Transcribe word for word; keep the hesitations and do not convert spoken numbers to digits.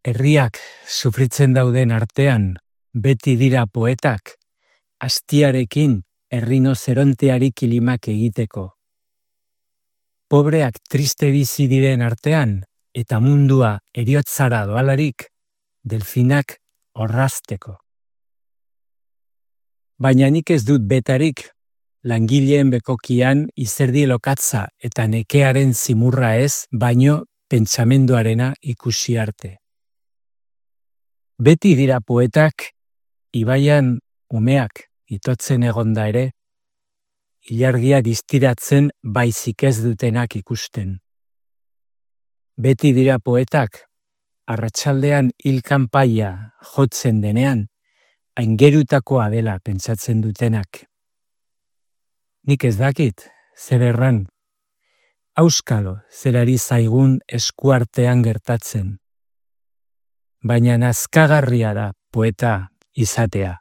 Herriak sufritzen dauden artean, beti dira poetak, astiarekin errinozeronteari kilimak egiteko. Pobreak triste bizi diren artean, eta mundua heriotzara doalarik, delfinak orrazteko. Baina nik ez dut betarik, langileen bekokian izerdi lokatza eta nekearen zimurra ez, baino pentsamenduarena ikusi arte. Beti dira poetak, ibaian umeak itotzen egonda ere, ilargia distiratzen baizik ez dutenak ikusten. Beti dira poetak, arratsaldean hil kanpaia jotzen denean, aingerutakoa dela pentsatzen dutenak. Nik ez dakit, zer erran, auskalo zerari zaigun eskuartean gertatzen. Baina nazkagarria da poeta izatea.